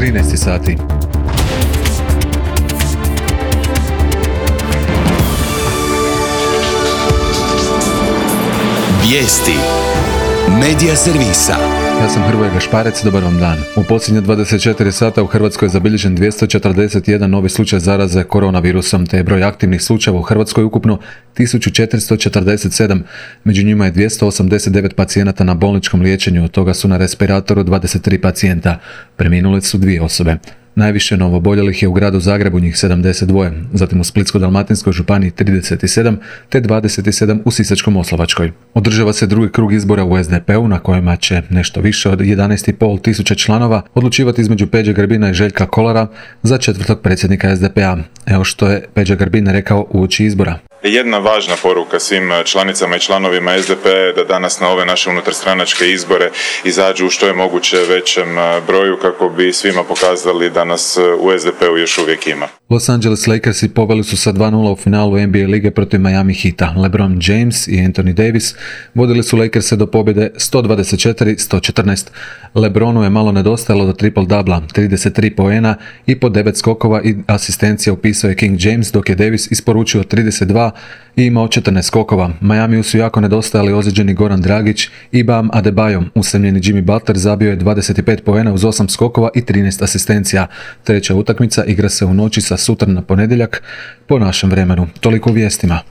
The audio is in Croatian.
13 sati. Vijesti Medija servisa. Ja sam Hrvoje Gašparec, dobar vam dan. U posljednje 24 sata u Hrvatskoj je zabilježen 241 novi slučaj zaraze koronavirusom, te je broj aktivnih slučajeva u Hrvatskoj ukupno 1447. Među njima je 289 pacijenata na bolničkom liječenju, od toga su na respiratoru 23 pacijenta. Preminule su 2 osobe. Najviše novooboljelih je u gradu Zagrebu, njih 72, zatim u Splitsko-dalmatinskoj županiji 37, te 27 u Sisačko-moslavačkoj. Održava se drugi krug izbora u SDP-u na kojima će nešto više od 11,5 tisuća članova odlučivati između Peđe Grbina i Željka Kolara za 4. predsjednika SDP-a. Evo što je Peđa Grbin rekao uoči izbora. Jedna važna poruka svim članicama i članovima SDP-a je da danas na ove naše unutarstranačke izbore izađu u što je moguće većem broju kako bi svima pokazali da nas u SDP-u još uvijek ima. Los Angeles Lakersi poveli su sa 2:0 u finalu NBA lige protiv Miami Heata. LeBron James i Anthony Davis vodili su Lakerse do pobjede 124-114. LeBronu je malo nedostajalo do triple-dubla, 33 poena i po 9 skokova i asistencija upisao je King James, dok je Davis isporučio 32 i imao 14 skokova. Miamiju su jako nedostajali ozlijeđeni Goran Dragić i Bam Adebayo. Usamljeni Jimmy Butler zabio je 25 poena uz 8 skokova i 13 asistencija. Treća utakmica igra se u noći sa sutra na ponedjeljak po našem vremenu. Toliko u vijestima.